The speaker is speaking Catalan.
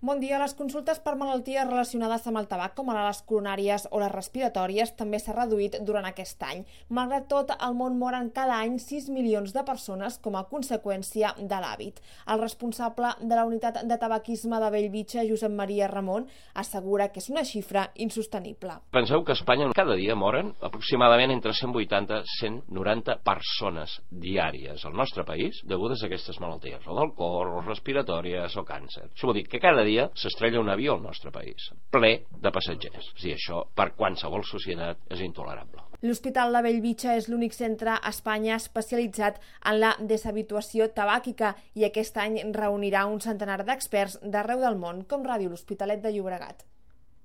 Bon dia. Les consultes per malalties relacionades amb el tabac, com ara les coronàries o les respiratòries, també s'ha reduït durant aquest any. Malgrat tot, al món moren cada any 6 milions de persones com a conseqüència de l'hàbit. El responsable de la unitat de tabaquisme de Bellvitge, Josep Maria Ramon, assegura que és una xifra insostenible. Penseu que a Espanya cada dia moren aproximadament entre 180 i 190 persones diàries al nostre país degudes a aquestes malalties, o del cor, o respiratòries, o càncer. Això vol dir que cada dia s'estrella un avió al nostre país, ple de passatgers. És a dir, això per qualsevol societat és intolerable. L'Hospital de Bellvitge és l'únic centre a Espanya especialitzat en la deshabituació tabàquica i aquest any reunirà un centenar d'experts d'arreu del món, com Ràdio L'Hospitalet de Llobregat.